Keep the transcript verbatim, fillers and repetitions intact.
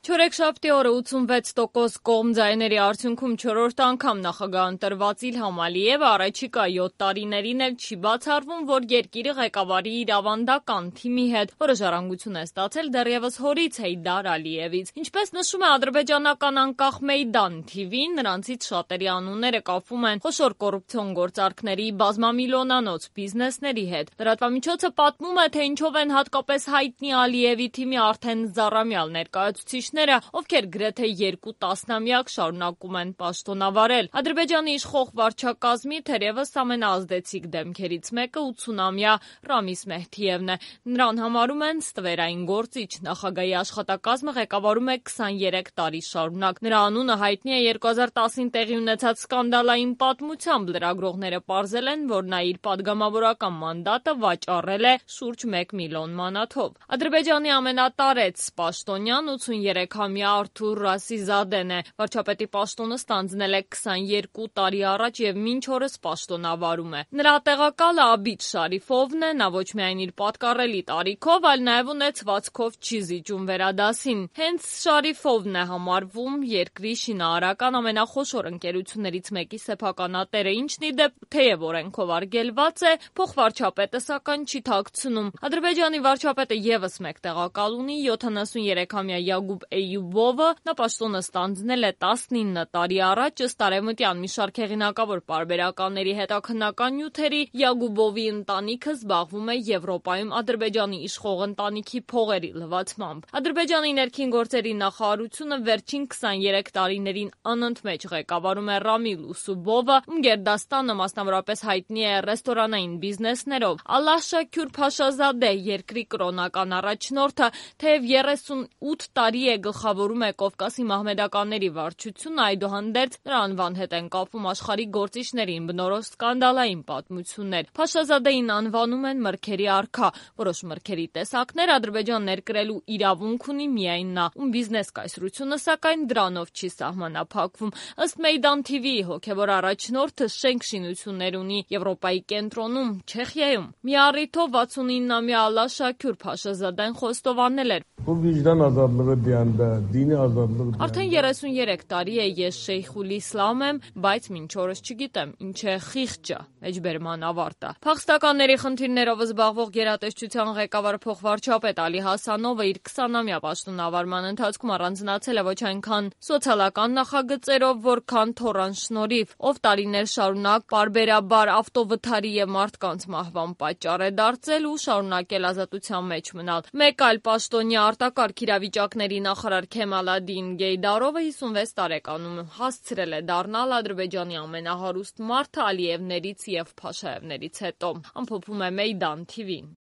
Չորեքշաբթի օրը ութսունվեց տոկոս կողմ ձայների արդյունքում չորրորդ անգամ նախագահ ընտրված Իլհամ Ալիևը առաջիկա յոթ տարիներին էլ չի բացառվում, որ երկիրը ղեկավարի իր ավանդական թիմի հետ, որը ժառանգություն է ստացել դեռևս հորից Հեյդար Ալիևից։ Ինչպես նշում է ադրբեջանական անկախ Մեյդան թիվին, նրանցից շատերի անունները կապվում են խոշոր կոռուպցիոն գործարքների, բազմամիլիոնանոց բիզնեսների հետ։ Լրատվամիջոցը պատմում է, թե ինչով են հատկապես հայտնի Ալիևի թիմի արդեն զառամյալ ներկայացուցիչները, ովքեր գրեթե երկու տասնամյակ շարունակում են պաշտոնավարել։ Ադրբեջանի իշխող վարչակազմի թերևս ամենաազդեցիկ դեմքերից մեկը ութսունամյա Ռամիս Մեհդիևն է։ Նրան համարում են ստվերային գործիչ։ Նախագահի աշխատակազմը ղեկավարում է քսաներեք տարի շարունակ։ Նրա անունը հայտնի է երկու հազար տասին տեղի ունեցած սկանդալային պատմությամբ։ Լրագրողները պարզել են, որ նա իր падգամավորական մանդատը վաճառել է շուրջ մեկ միլիոն մանաթով։ Ադրբեջանի ամենատարեց պաշտոնյան ութսուներեքամյա Արթուր Ռասիզադեն է։ Վարչապետի պաշտոնը ստանձնել է քսաներկու տարի առաջ եւ մինչ օրս պաշտոնավարում է։ Նրա տեղակալը Աբիդ Շարիֆովն է։ Նա ոչ միայն իր պատկառելի տարիքով, այլ նաեւ ունեցվածքով չի զիջում վերադասին։ Հենց Շարիֆովն է համարվում երկրի շինարարական ամենախոշոր ընկերություններից մեկի սեփականատերը, ինչն ի դեպ թեև օրենքով արգելված է, փոխվարչապետը սակայն չի թաքցնում։ Ադրբեջանի վարչապետը եւս մեկ տեղակալ ունի՝ յոթանասուներեքամյա Յագուբ Էյուբովը։ Նա պաշտոնը ստանձնել է տասնինը տարի առաջ, ըստ արևմտյան մի շարք հեղինակավոր պարբերականների հետաքննական նյութերի Յագուբովի ընտանիքը զբաղվում է Եվրոպայում Ադրբեջանի իշխող ընտանիքի փողերի լվացմամբ։ Ադրբեջանի ներքին գործերի նախարարությունը վերջին քսաներեք տարիներին անընդմեջ ղեկավարում է Ռամիլ Ուսուբովը, ում գերդաստանը մասնավորապես հայտնի է ռեստորանային բիզնեսներով։ Ալլահ Շաքյուր Փաշազադե, երկրի կրոնական առաջնորդը, թեև երեսունութ տարի է գլխավորում է Կովկասի մահմեդականների վարչությունը, այդուհանդերձ նրա անվան հետ են կապվում աշխարհի գործիչներին բնորոշ սկանդալային պատմություններ։ Փաշազադեին անվանում են մրգերի արքա։ Որոշ մրգերի տեսակներ Ադրբեջան ներկրելու իրավունք ունի միայն նա, ում բիզնես կայսրությունը սակայն դրանով չի սահմանափակվում։ Ըստ Մեյդան թիվիի հոգևոր առաջնորդը շենք շինություններ ունի Եվրոպայի կենտրոնում, Չեխիայում։ Մի առիթով վաթսունինամյա Ալլահ Շաքյուր Փաշազադեն խոստովանել էր. Արդեն երեսուներեք տարի է ես Շեյխուլ Իսլամ եմ, բայց մինչ օրս չգիտեմ ինչ է խիղճը, մեջբերման ավարտը։ Փախստականների խնդիրներով զբաղվող գերատեսչության ղեկավար փոխվարչապետ Ալի Հասանովը իր քսանամյա պաշտոնավարման ընթացքում առանձնացել է ոչ այնքան սոցիալական նախագծերով, որքան թոռան շնորհիվ, ով տարիներ շարունակ պարբերաբար ավտովթարի եւ մարդկանց մահվան պատճառ է դարձել ու շարունակել ազատության մեջ մնալ։ Մեկ այլ պաշտոնյա արտակարգ իրավիճակների նախարար Քեմալադին Գեյդարովը հիսունվեց տարեկանում հասցրել է դառնալ Ադրբեջանի ամենահարուստ մարդը Ալիևներից եւ Փաշաևներից հետո։ Ամփոփում է Մեյդան թիվին։